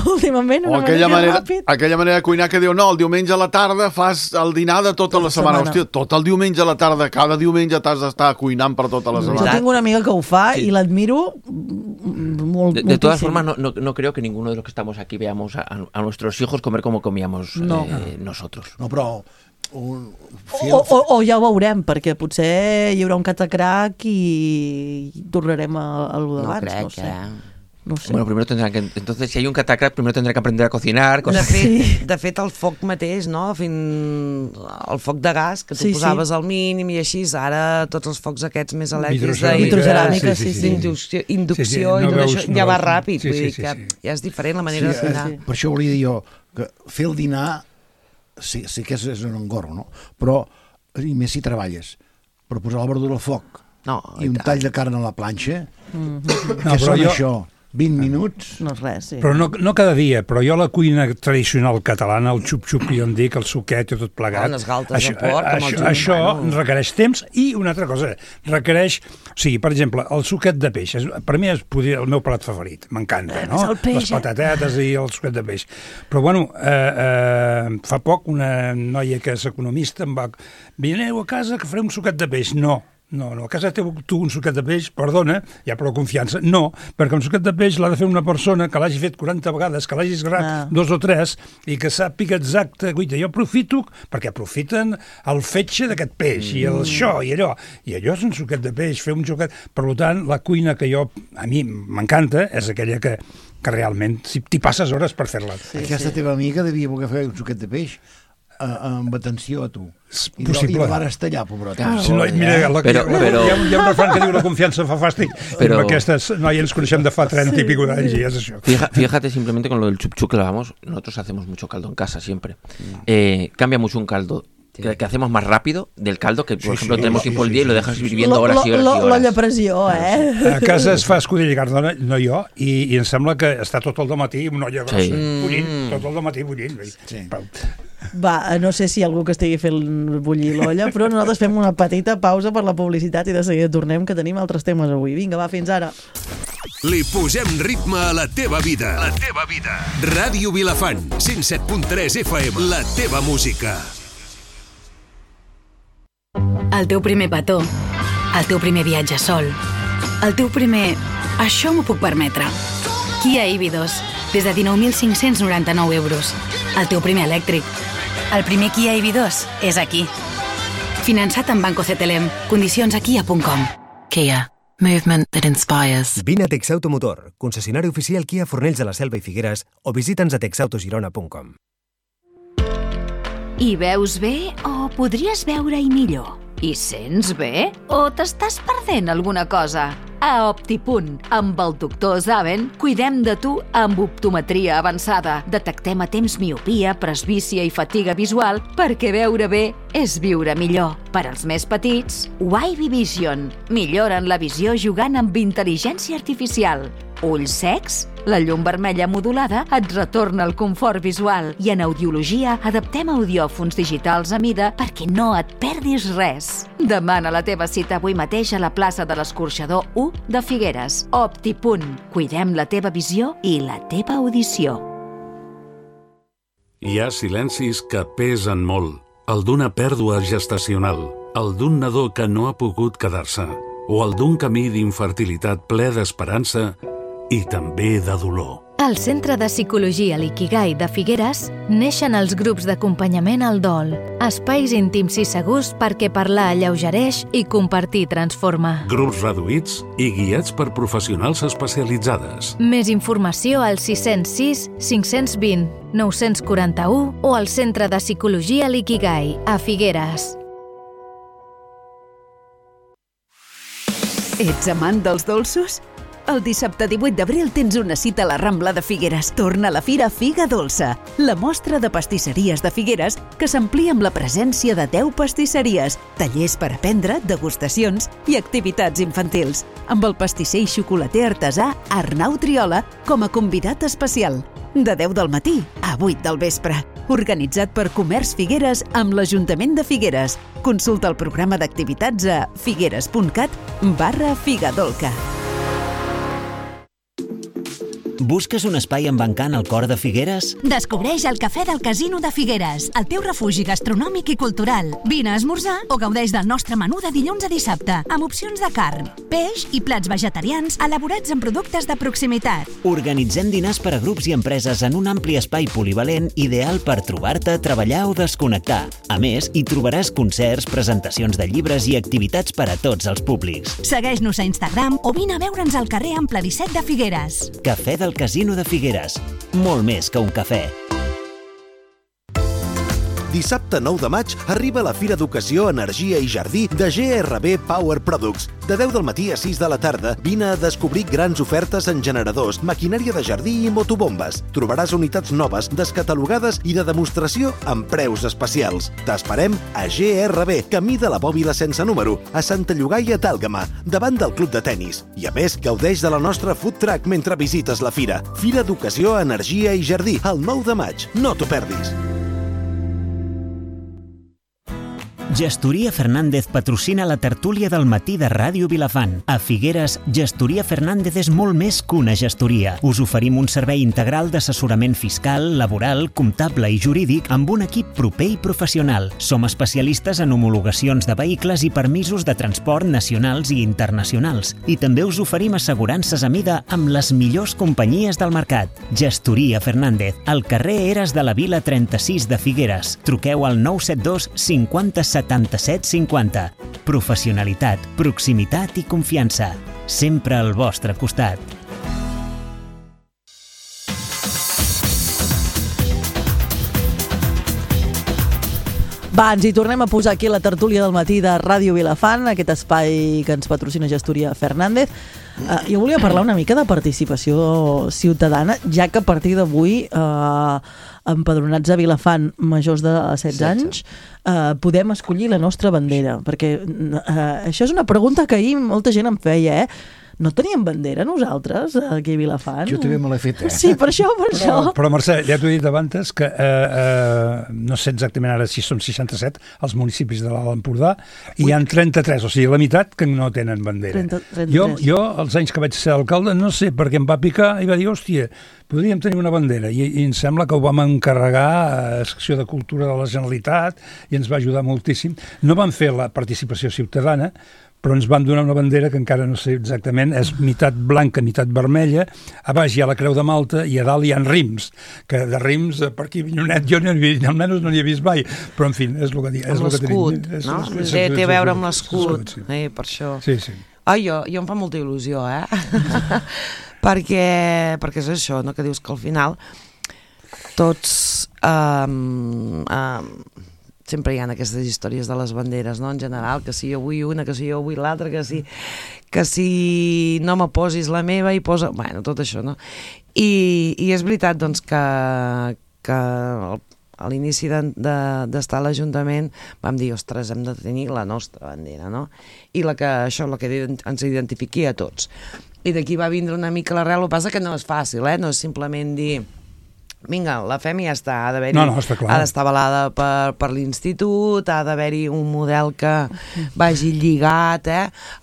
últimament, una amanida ràpid. Aquella manera de cuinar que diu, no, el diumenge a la tarda fas el dinar de tota la setmana. Hòstia, tot el diumenge a la tarda, cada diumenge t'has d'estar cuinant per tota la setmana. Jo tinc una amiga que ho fa i l'admiro molt. De todas formas, no creo que ninguno de los que estamos aquí veamos a nuestros hijos comer como comíamos nosotros. No, però... O ja ho veurem, perquè potser hi haurà un catacrac i tornarem a lo d'abans, no sé. Bueno, primero tendrán que... Entonces, si hay un catacrac, primero tendrán que aprender a cocinar. De fet, el foc mateix, no? El foc de gas, que tu posaves al mínim i així, ara tots els focs aquests més elèctrics vitroceràmica, inducció i tot això, ja va ràpid, vull dir que ja és diferent la manera de cuinar. Per això volia dir jo que fer el dinar sí que és un engorro, no? Però, i més si treballes, però posar la verdura al foc i un tall de carn a la planxa, què són això? 20 minuts? No és res, sí. Però no cada dia, però jo la cuina tradicional catalana, el xup-xup, jo en dic, el suquet i tot plegat, les galtes de porc, això requereix temps i una altra cosa, requereix, o sigui, per exemple, el suquet de peix, per mi és el meu plat favorit, m'encanta, no? Les patatetes i el suquet de peix. Però, bueno, fa poc una noia que és economista em va... Vineu a casa que faré un suquet de peix. No, a casa teu tu un suquet de peix, perdona, hi ha prou confiança. No, perquè un suquet de peix l'ha de fer una persona que l'hagi fet 40 vegades, que l'hagi esgrat 2 o 3 i que sàpiga exacte. Guaita, jo aprofito, perquè aprofiten el fetge d'aquest peix i el això i allò. I allò és un suquet de peix, fer un suquet... Per tant, la cuina que a mi m'encanta és aquella que realment t'hi passes hores per fer-la. Aquesta teva amiga devia voler fer un suquet de peix amb atenció a tu. Possible. I la van estallar, pobrota. Mira, hi ha un refrán que diu la confiança fa fàstic, però aquestes noies ens coneixem de fa 30 y pico d'anys i és això. Fíjate simplemente con lo del chup-chup que hablábamos, nosotros hacemos mucho caldo en casa siempre. Cambia mucho un caldo que hacemos más rápido del caldo que, por ejemplo, tenemos tiempo el día y lo dejas hirviendo horas y horas y horas. L'olla a pressió, A casa es fa escudella i carn, no jo, i em sembla que està tot el dematí una olla grossa, bullint, tot el dematí bullint. Va, no sé si hi ha algú que estigui fent bullir l'olla, però nosaltres fem una petita pausa per la publicitat i de seguida tornem, que tenim altres temes avui. Vinga, va, fins ara. Li posem ritme a la teva vida. La teva vida. Ràdio Vilafant, 107.3 FM. La teva música. El teu primer petó, el teu primer viatge sol, el teu primer... Això m'ho puc permetre. Kia EV2, des de 19.599 euros. El teu primer elèctric. El primer Kia EV2 és aquí. Finançat amb Banco CTLM. Condicions a kia.com. Kia. Movement that inspires. Vine a Texauto Motor, concessionari oficial Kia Fornells de la Selva i Figueres, o visita'ns a texautogirona.com. Hi veus bé o podries veure-hi millor? Hi sents bé o t'estàs perdent alguna cosa? A Optipunt, amb el doctor Zaven, cuidem de tu amb optometria avançada. Detectem a temps miopia, presbícia i fatiga visual perquè veure bé és viure millor. Per als més petits, Wavy Vision. Milloren la visió jugant amb intel·ligència artificial. Ulls secs? La llum vermella modulada et retorna el confort visual i en audiologia adaptem audiòfons digitals a mida perquè no et perdis res. Demana la teva cita avui mateix a la plaça de l'Escorxador 1 de Figueres. Optipunt. Cuidem la teva visió i la teva audició. Hi ha silencis que pesen molt. El d'una pèrdua gestacional, el d'un nadó que no ha pogut quedar-se, o el d'un camí d'infertilitat ple d'esperança i també de dolor. Al Centre de Psicologia l'Ikigai de Figueres neixen els grups d'acompanyament al dol, espais íntims i segurs perquè parlar alleugereix i compartir transforma. Grups reduïts i guiats per professionals especialitzades. Més informació al 606 520 941 o al Centre de Psicologia l'Ikigai a Figueres. Ets amant dels dolços? El dissabte 18 d'abril tens una cita a la Rambla de Figueres. Torna a la Fira Figa Dolça, la mostra de pastisseries de Figueres que s'amplia amb la presència de 10 pastisseries, tallers per aprendre, degustacions i activitats infantils, amb el pastisser i xocolater artesà Arnau Triola com a convidat especial. De 10 del matí a 8 del vespre. Organitzat per Comerç Figueres amb l'Ajuntament de Figueres. Consulta el programa d'activitats a figueres.cat/Figadolca. Busques un espai amb encant al cor de Figueres? Descobreix el Cafè del Casino de Figueres, el teu refugi gastronòmic i cultural. Vine a esmorzar o gaudeix del nostre menú de dilluns a dissabte, amb opcions de carn, peix i plats vegetarians elaborats amb productes de proximitat. Organitzem dinars per a grups i empreses en un ampli espai polivalent ideal per trobar-te, treballar o desconnectar. A més, hi trobaràs concerts, presentacions de llibres i activitats per a tots els públics. Segueix-nos a Instagram o vine a veure'ns al carrer Ample 17 de Figueres. Cafè del Casino de Figueres. Molt més que un cafè. Dissabte 9 de maig arriba la Fira Educació, Energia i Jardí de GRB Power Products. De 10 del matí a 6 de la tarda, vine a descobrir grans ofertes en generadors, maquinària de jardí i motobombes. Trobaràs unitats noves, descatalogades i de demostració amb preus especials. T'esperem a GRB, camí de la Bòbila sense número, a Santa Llogaia d'Àlgama, davant del club de tennis. I a més, gaudeix de la nostra food truck mentre visites la fira. Fira Educació, Energia i Jardí, el 9 de maig. No t'ho perdis. Gestoria Fernández patrocina la tertúlia del matí de Ràdio Vilafant. A Figueres, Gestoria Fernández és molt més que una gestoria. Us oferim un servei integral d'assessorament fiscal, laboral, comptable i jurídic amb un equip proper i professional. Som especialistes en homologacions de vehicles i permisos de transport nacionals i internacionals. I també us oferim assegurances a mida amb les millors companyies del mercat. Gestoria Fernández, al carrer Eres de la Vila 36 de Figueres. Truqueu al 972 50 77 50. Professionalitat, proximitat i confiança. Sempre al vostre costat. Va, ens hi tornem a posar aquí la tertúlia del matí de Ràdio Vilafant, aquest espai que ens patrocina Gestoria Fernández. Jo volia parlar una mica de participació ciutadana, ja que a partir d'avui empadronats a Vilafant majors de 16 anys podem escollir la nostra bandera, perquè això és una pregunta que ahir molta gent em feia, No teníem bandera nosaltres aquí a Vilafant? Jo també me l'he fet, Sí, per això. Però Mercè, ja t'ho he dit abans que no sé exactament ara si són 67 els municipis de l'Alt Empordà i hi ha 33, o sigui, la meitat que no tenen bandera. 33. Jo, els anys que vaig ser alcalde, no sé, perquè em va picar i va dir, hòstia, podríem tenir una bandera, i em sembla que ho vam encarregar a la secció de Cultura de la Generalitat i ens va ajudar moltíssim. No vam fer la participació ciutadana, però ens van donar una bandera que encara no sé exactament, és meitat blanca, meitat vermella, a baix hi ha la Creu de Malta i a dalt hi ha rims, que de rims per aquí Vinyonet jo almenys no n'hi he vist mai, però en fi, és el que dic. Amb l'escut, no? Té a veure amb l'escut, per això. Sí. Jo em fa molta il·lusió, perquè és això, no? Que dius que al final sempre hi ha aquestes històries de les banderes, no? En general, que si jo vull una, que si jo vull l'altra, que si no me posis la meva i posa... Bueno, tot això, no? I és veritat, doncs, que a l'inici d'estar a l'Ajuntament vam dir, ostres, hem de tenir la nostra bandera, no? I la que ens identifiqui a tots. I d'aquí va vindre una mica l'arrel, el que passa que no és fàcil, no és simplement dir vinga, la fem i ja està, ha d'estar avalada per l'institut, ha d'haver-hi un model que vagi lligat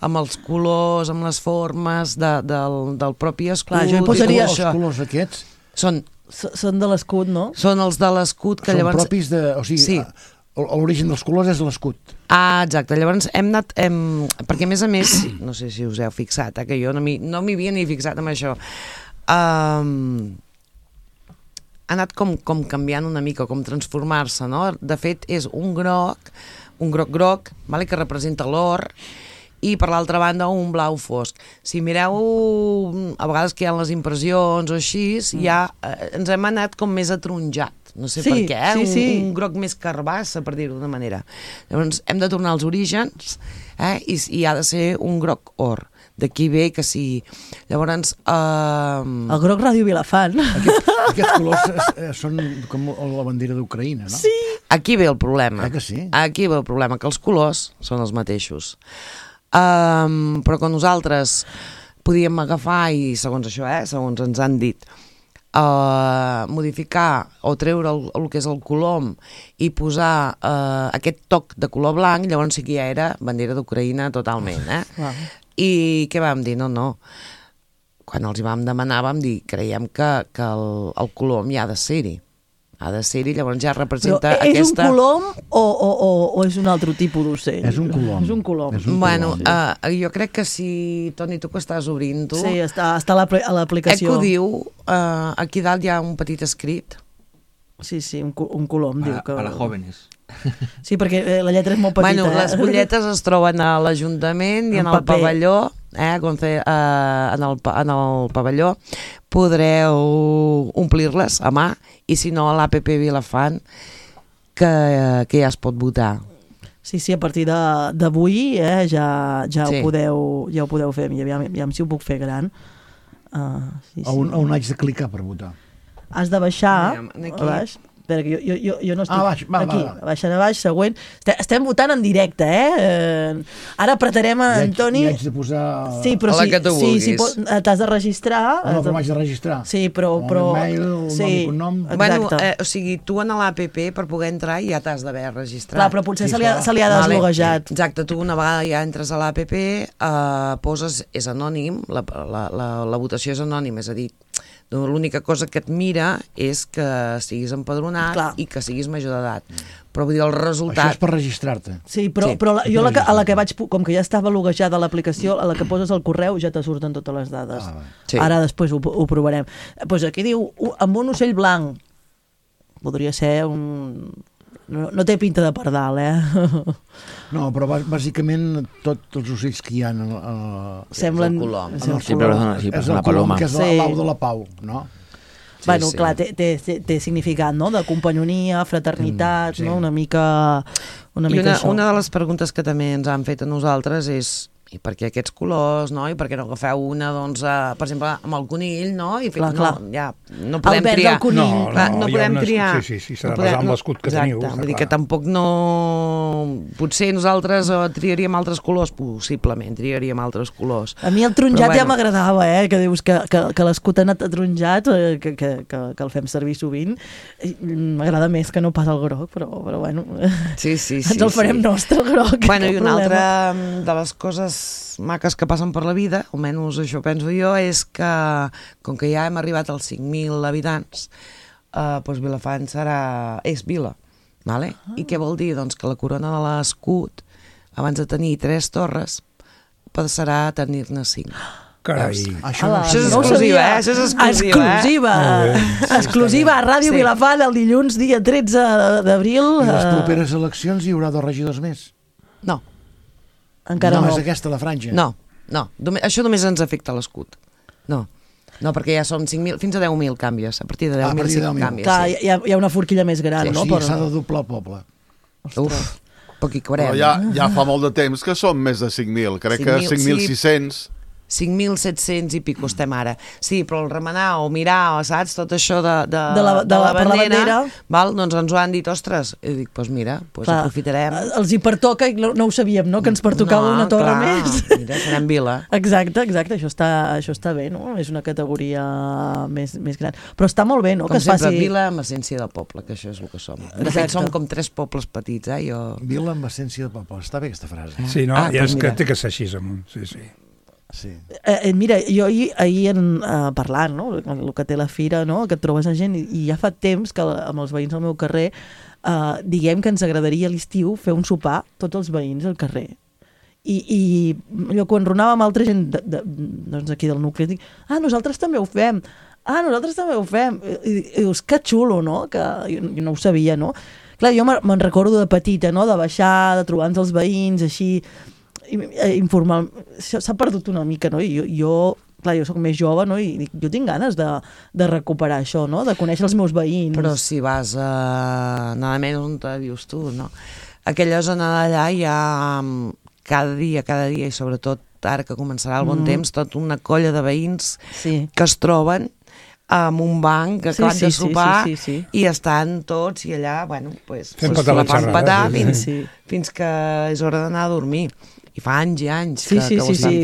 amb els colors, amb les formes del propi escut. Clar, jo hi posaria els colors aquests són de l'escut, no? Són els de l'escut que llavors... Són propis de... O sigui, l'origen dels colors és l'escut. Exacte. Llavors hem anat... Perquè, a més, no sé si us heu fixat, que jo no m'hi havia ni fixat amb això. Ha anat com canviant una mica, com transformar-se, no? De fet, és un groc, que representa l'or, i per l'altra banda un blau fosc. Si mireu a vegades que hi ha les impressions o així, ja ens hem anat com més atronjat, no sé per què, un groc més carbassa, per dir-ho d'una manera. Llavors hem de tornar als orígens i ha de ser un groc or. D'aquí ve que sí. Llavors... El groc Ràdio Vilafant. Aquests colors són com la bandera d'Ucraïna, no? Sí. Aquí ve el problema. Que sí? Aquí ve el problema, que els colors són els mateixos. Però que nosaltres podíem agafar i segons això, segons ens han dit, modificar o treure el que és el colom i posar aquest toc de color blanc, llavors sí que ja era bandera d'Ucraïna totalment, I què vam dir? No. Quan els hi vam demanar vam dir, creiem que el colom ja ha de ser-hi. Ha de ser-hi, llavors ja representa aquesta... Però és un colom o és un altre tipus d'ocell? És un colom. És un colom. Bueno, jo crec que si, Toni, tu que estàs obrint-ho... Sí, està a l'aplicació. Ho diu, aquí dalt hi ha un petit escrit. Sí, un colom, diu que... Para jóvenes. Sí, perquè la lletra és molt petita. Bueno, les butlletes es troben a l'Ajuntament i en el pavelló, en el pavelló podreu omplir-les a mà, i si no a l'APP Vilafant, que ja es pot votar. Sí, a partir d'avui ja ho podeu fer. Aviam si ho puc fer gran. On haig de clicar per votar? Has de baixar a baix. Espera, que jo no estic... Aquí, baixant a baix, següent. Estem votant en directe, Ara apretarem a Antoni... I haig de posar... Sí, però t'has de registrar... No, però m'haig de registrar. Sí, però... El mail, el nom... Bueno, o sigui, tu en l'APP, per poder entrar, ja t'has d'haver registrat. Clar, però potser se li ha desloguejat. Exacte, tu una vegada ja entres a l'APP, poses... És anònim, la votació és anònim, és a dir, l'única cosa que et mira és que siguis empadronat i que siguis major d'edat. Però vull dir, el resultat... Això és per registrar-te. Sí, però jo a la que vaig... Com que ja estava loguejada l'aplicació, a la que poses el correu ja te surten totes les dades. Ara després ho provarem. Doncs aquí diu, amb un ocell blanc. Podria ser un... No té pinta de pardal, No, però bàsicament tots els ocells que hi ha semblen... És el colom, que és l'au de la pau, no? Bueno, clar, té significat, no? De companyonia, fraternitat, no? Una mica això. Una de les preguntes que també ens han fet a nosaltres és i per què aquests colors, no? I per què no agafeu una, doncs, per exemple, amb el conill, no? I clar. No podem triar. El conill. No podem triar. Sí, s'ha de basar amb l'escut que teniu. Exacte, vull dir que tampoc no... Potser nosaltres triaríem altres colors, possiblement triaríem altres colors. A mi el taronjat ja m'agradava, que dius que l'escut ha anat taronjat, que el fem servir sovint. M'agrada més que no pas el groc, però bueno... Sí. Ens el farem nostre, el groc. Bueno, i una altra de les coses maques que passen per la vida, almenys això penso jo, és que com que ja hem arribat als 5.000 habitants, doncs Vilafant és vila, vale? I què vol dir? Doncs que la corona de l'escut, abans de tenir 3 torres, passarà a tenir-ne 5. Carai. Això és exclusiva, Això és exclusiva. Exclusiva a Ràdio Vilafant el dilluns, dia 13 d'abril. I les properes eleccions hi haurà 2 regidors més? No. Encara no. És aquesta la franja? No. Això només ens afecta l'escut. No. No, perquè ja són 5.000, fins a 10.000 canvies. A partir de 10.000 canvies. Clar, hi ha una forquilla més gran, no? Sí, s'ha de doblar el poble. Uf, poc hi cabrem. Però ja fa molt de temps que som més de 5.000. Crec que 5.600... 5.700 i pico estem ara. Sí, però el remenar o mirar, saps, tot això de la bandera, val? Doncs ens ho han dit, ostres, i dic, doncs mira, aprofitarem. Els hi pertoca, i no ho sabíem, no? Que ens pertocava una torre més. Mira, serem vila. Exacte, això està bé, no? És una categoria més gran. Però està molt bé, no? Com que sempre, faci... vila amb essència de poble, que això és el que som. De fet, som com 3 pobles petits, Vila amb essència de poble, està bé aquesta frase. Sí, no? Ja és que té que ser així, amunt, sí. Sí. Mira, jo ahir parlant, no? El que té la fira, no? Que et trobes a gent, i ja fa temps que amb els veïns del meu carrer diguem que ens agradaria a l'estiu fer un sopar tots els veïns al carrer. I allò, quan ronàvem altra gent doncs aquí del nucli, dic, nosaltres també ho fem. I dius, que xulo, no? Que jo no ho sabia, no? Clar, jo me'n recordo de petita, no? De baixar, de trobar-nos els veïns, així... informal, s'ha perdut una mica, no? I jo soc més jove, no? I jo tinc ganes de recuperar això, no? De conèixer els meus veïns. Però si vas nada menys on te dius tu, no? Aquella zona d'allà hi ha cada dia, i sobretot ara que començarà el bon temps, tota una colla de veïns que es troben amb un banc que acaben de sopar i estan tots i allà, bueno, pues la fan petar fins que és hora d'anar a dormir. I fa anys i anys que ho estan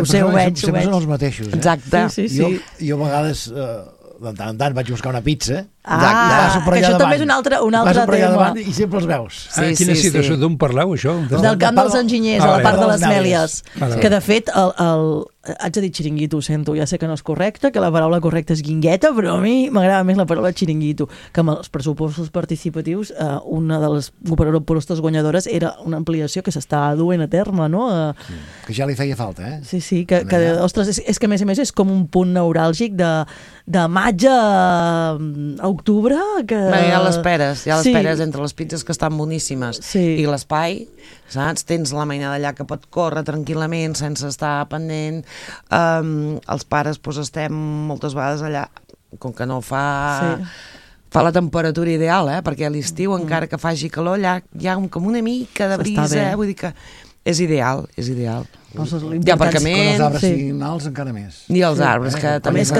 fent. Ho veig. Sempre són els mateixos. Exacte. Jo a vegades, de tant en tant, vaig buscar una pizza. Que això també és un altre tema. I sempre els veus. Quina situació, d'on parleu, això? Del camp dels enginyers, a la part de les Mèlies. Que, de fet, haig de dir xiringuito, ho sento, ja sé que no és correcte, que la paraula correcta és guingueta, però a mi m'agrada més la paraula xiringuito, que amb els pressupostos participatius una de les propostes guanyadores era una ampliació que s'està duent a terme, no? Que ja li feia falta, eh? Sí, que ostres, és que a més és com un punt neuràlgic de maig a octubre, que... Ja l'esperes entre les pizzas que estan boníssimes i l'espai, saps? Tens la mainada allà que pot córrer tranquil·lament sense estar pendent. Els pares estem moltes vegades allà, com que no fa la temperatura ideal, perquè a l'estiu, encara que faci calor, allà hi ha com una mica de brisa, vull dir que és ideal. Hi ha aparcament. Quan els arbres siguin alts, encara més. I els arbres, que també se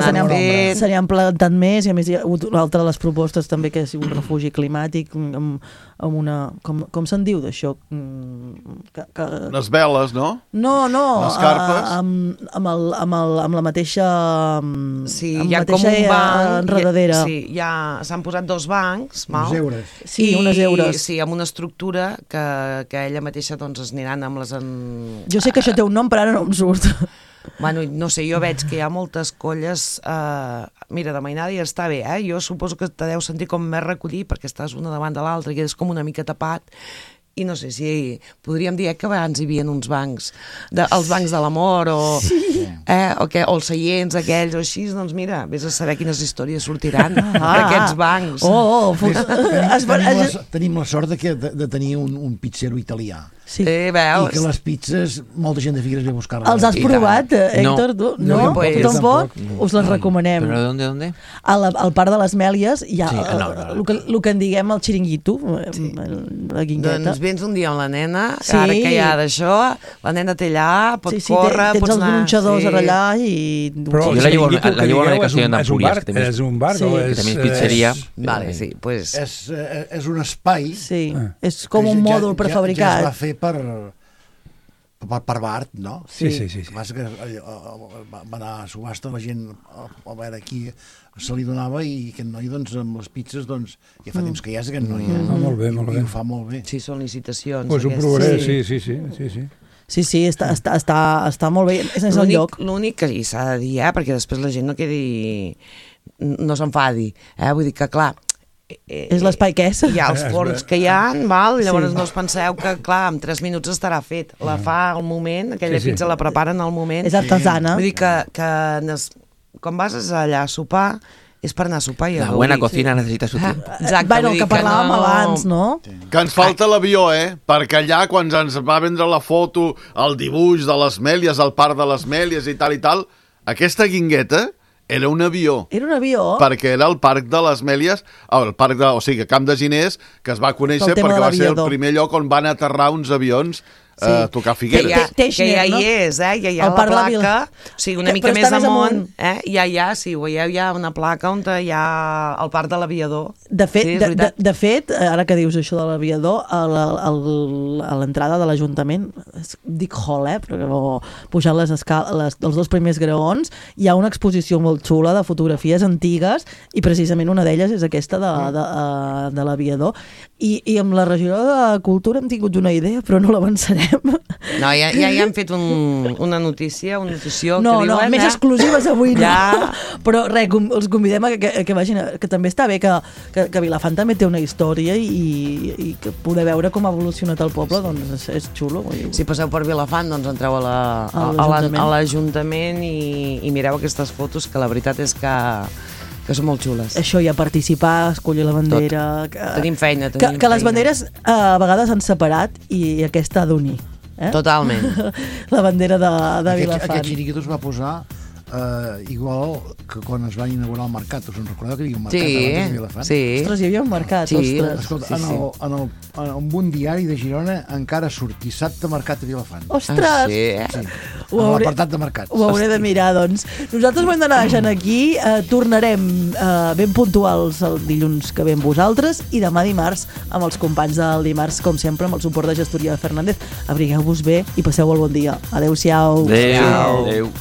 n'han plantat més, i a més hi ha hagut l'altra de les propostes també, que és un refugi climàtic amb una... Com se'n diu d'això? Les veles, no? No. Les carpes? Amb la mateixa... Sí, hi ha com un banc... Enredadera. Sí, s'han posat 2 bancs. Unes eures. Sí, unes eures. Sí, amb una estructura que ella mateixa es aniran amb les... Jo sé que això té un nom, però ara no em surt. Bueno, no sé, jo veig que hi ha moltes colles... Mira, de mainada ja està bé, jo suposo que te deus sentir com més recollir perquè estàs una davant de l'altra i és com una mica tapat. I no sé si podríem dir que abans hi havia uns bancs, els bancs de l'amor o els seients aquells o així, doncs mira, vés a saber quines històries sortiran d'aquests bancs. Tenim la sort de tenir un pizzero italià. Sí. Veus? I que les pizzas, molta gent de Figueres ve a buscar-les. Els has provat, Héctor? No? Tampoc? Us les recomanem. Però d'on? Al Parc de les Mèlies hi ha el que en diguem el xiringuito, la guingueta. Doncs vens un dia amb la nena, ara que hi ha d'això, la nena té allà, pot córrer, tens els gronxadors allà i... Però la llevo a la Castelló d'Empúries, és un bar, que també és pizzeria. Vale, sí, pues... És un espai... Sí, és com un mòdul prefabricat. Ja es va fer per Bart, no? Sí. Passa que va anar a subhasta, la gent a veure qui se li donava, i aquest noi, doncs, amb les pizzas, doncs, ja fa temps que hi és aquest noi. Molt bé. I ho fa molt bé. Sí, són licitacions. Pues ho provaré, sí. Sí, està molt bé. És el lloc. L'únic que s'ha de dir, perquè després la gent no s'enfadi. Vull dir que, clar, és l'espai que és. Hi ha els forns que hi ha, llavors no us penseu que, clar, en 3 minuts estarà fet. La fa al moment, aquella pizza la preparen al moment. És artesana. Vull dir que quan vas allà a sopar, és per anar a sopar i a la buena cocina necessita su tiempo. Exacte. Bueno, que parlàvem abans, no? Que ens falta l'avió, perquè allà, quan ens va vendre la foto, el dibuix de les Mèlies, el parc de les Mèlies i tal, aquesta guingueta Era un avió. Era un avió? Perquè era el Parc de les Mèlies, o sigui, Camp de Giners, que es va conèixer perquè va ser el primer lloc on van aterrar uns avions a tocar Figueres. Que ja hi és, ja hi ha la placa, o sigui, una mica més amunt, ja hi ha, si ho veieu, hi ha una placa on hi ha el Parc de l'Aviador. De fet, ara que dius això de l'Aviador, a l'entrada de l'Ajuntament, dic hall, però pujant els 2 primers graons, hi ha una exposició molt xula de fotografies antigues i precisament una d'elles és aquesta de l'Aviador. I amb la regidora de Cultura hem tingut una idea, però no l'avançarem. No, ja han fet una notició que diuen... Més exclusives avui no. Però res, els convidem a que vagin, que també està bé que Vilafant també té una història i que poder veure com ha evolucionat el poble, doncs és xulo. Si passeu per Vilafant, doncs entreu a l'Ajuntament i mireu aquestes fotos, que la veritat és que són molt xules. Això, i a participar, escollir la bandera... Tenim feina, que les banderes a vegades s'han separat i aquesta ha d'unir. Totalment. La bandera de Vilafant. Aquest xiringuito es va posar igual que quan es va inaugurar el mercat. Us en recordeu que hi havia un mercat abans de Vilafant? Sí. Ostres, hi havia un mercat, ostres. Escolta, en un diari de Girona encara surt dissabte mercat a Vilafant. Ostres! Sí. Amb l'apartat de mercat. Ho hauré de mirar, doncs. Nosaltres ho hem d'anar deixant aquí. Tornarem ben puntuals el dilluns que ve amb vosaltres i demà dimarts amb els companys del dimarts, com sempre, amb el suport de Gestoria Fernández. Abrigueu-vos bé i passeu el bon dia. Adéu-siau. Adéu.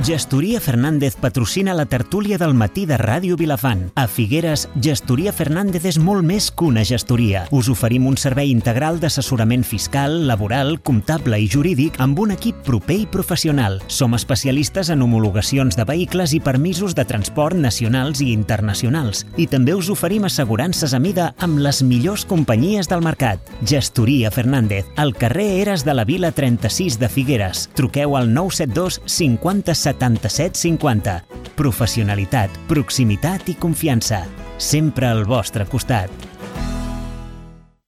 Gestoria Fernández patrocina la tertúlia del matí de Ràdio Vilafant. A Figueres, Gestoria Fernández és molt més que una gestoria. Us oferim un servei integral d'assessorament fiscal, laboral, comptable i jurídic amb un equip proper i professional. Som especialistes en homologacions de vehicles i permisos de transport nacionals i internacionals. I també us oferim assegurances a mida amb les millors companyies del mercat. Gestoria Fernández, al carrer Eres de la Vila 36 de Figueres. Truqueu al 972 50 77 50. Professionalitat, proximitat i confiança. Sempre al vostre costat.